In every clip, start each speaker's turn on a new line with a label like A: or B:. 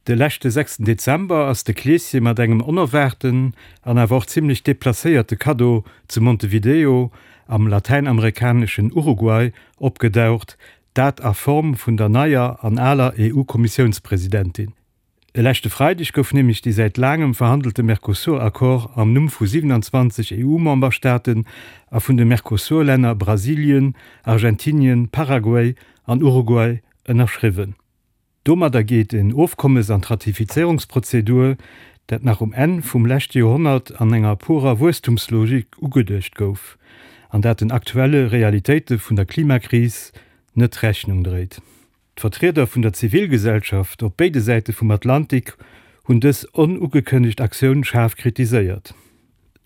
A: De leschte sechsten Dezember ass de Kleeschen mat engem onerwaarten an awer och zimmlech deplacéierte Kaddo zu Montevideo am latäinamerikaneschen Uruguay opgedaucht, dat a Form vun der neier an aler EU-Kommissiounspresidentin. E leschte Freideg gouf nämlech dee säit laangem verhandelte Mercosur-Accord am Numm vu 27 EU-Memberstaaten a vun de Mercosur-Länner Brasilien, Argentinien, Paraguay an Uruguay ënnerschriwwen. Domadder geet en Ofkommes an d'Ratifizéierungsprozedur, dat nach um Enn vum leschte Joerhonnert an enger purer Wuesstumslogik ugeduecht gouf, an dat den aktuelle Realitéite vun der Klimakris net Rechnung dréit. D'Vertrieder vun der Zivilgesellschaft op béide Säite vum Atlantik hunn dës onugekënnegt Aktioun schaarf kritiséiert.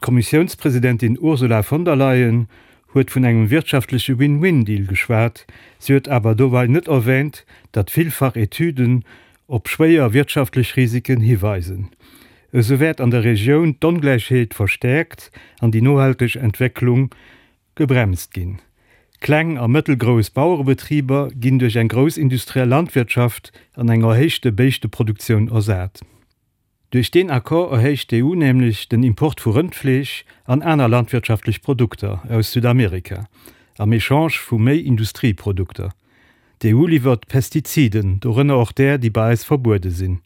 A: D'Kommissiounspresidentin Ursula von der Leyen huet vun engem wirtschaftleche Win-Win-Deal geschwat. Si huet awer dobei net erwäänt, datt villfach Etüden op schwéier wirtschaftlech Risiken hiweisen. Esou wäert an der Regioun d'Ongläichheet verstäerkt an déi nohalteg Entwécklung gebremst ginn. Kleng a mëttelgrouss Bauerebetriber ginn duerch eng grouss industriell Landwirtschaft an eng erhéichte Béischteproduktioun ersat. Duerch deen Accord erhéicht d'EU nämlech den Import vu Rëndfleesch an aner landwirtschaftlech Produkter aus Südamerika, am Echange vu méi Industrieprodukter. D'EU liwwert Pestiziden, dorënner och där, déi bei eis verbuede sinn.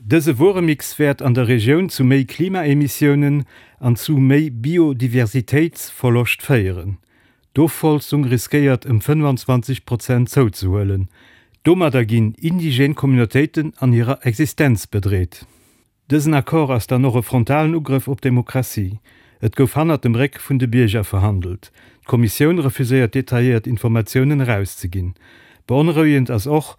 A: Dëse Wueremix wäert an der Regioun zu méi Klimaemissiounen an zu méi Biodiversitéitsverloscht féieren. D'Ofholzung riskéiert ëm 25 Prozent zouzehuelen. Domadder ginn indigène Communautéiten an hirer Existenz bedreet. Dësen Accord ass dann och e frontalen Ugrëff op d'Demokratie. Et gouf hannert dem Réck vun de Bierger verhandelt. D'Kommissioun refuséiert detailléiert Informatiounen erauszeginn. Beonrouegend ass och,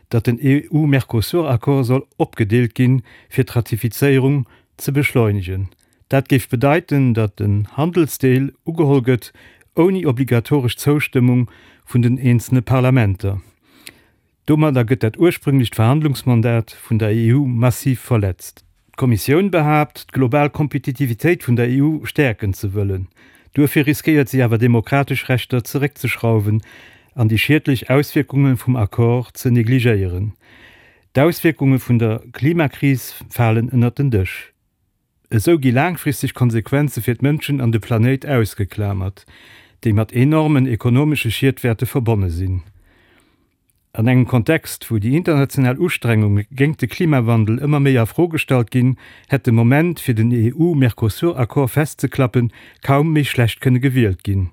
A: datt den EU-Mercosur-Accord soll opgedeelt ginn, fir d'Ratifizéierung ze beschleunegen. Dat géif bedeiten, datt den Handelsdeel ugeholl gëtt, ouni obligatoresch Zoustëmmung vun den eenzele Parlamenter. Domadder gëtt dat ursprünglecht Verhandlungsmandat vun der EU massiv verletzt. D'Kommissioun behaapt, d'global Kompetitivitéit vun der EU stäerken ze wëllen. Duerfir riskéiert si awer demokratesch Rechter zeréckzeschrauwen an déi schiedlech Auswierkunge vum Accord ze negligéieren. D'Auswierkunge vun der Klimakris falen ënnert den Dësch. Esou gi laangfristeg Konsequenze fir d'Mënschen an de Planéit ausgeklamert, déi mat enormen ekonomesche Schied wäerte verbonne sinn. An engem Kontext, wou déi international Ustrengunge géingt de Klimawandel ëmmer méi a Fro gestallt ginn, hätt de Moment, fir den EU-Mercosur-Accord festzeklappen, kaum méi schlecht kënne gewielt ginn.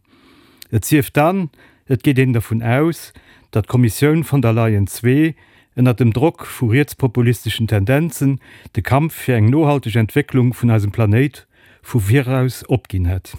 A: Et sief dann, et geet een dervun aus, datt d'Kommissioun von der Leyen ii ënnert dem Drock vu rietspopulisteschen Tendenzen de Kampf fir eng nohalteg Entwécklung vun eisem Planéit vu viraus opginn hätt.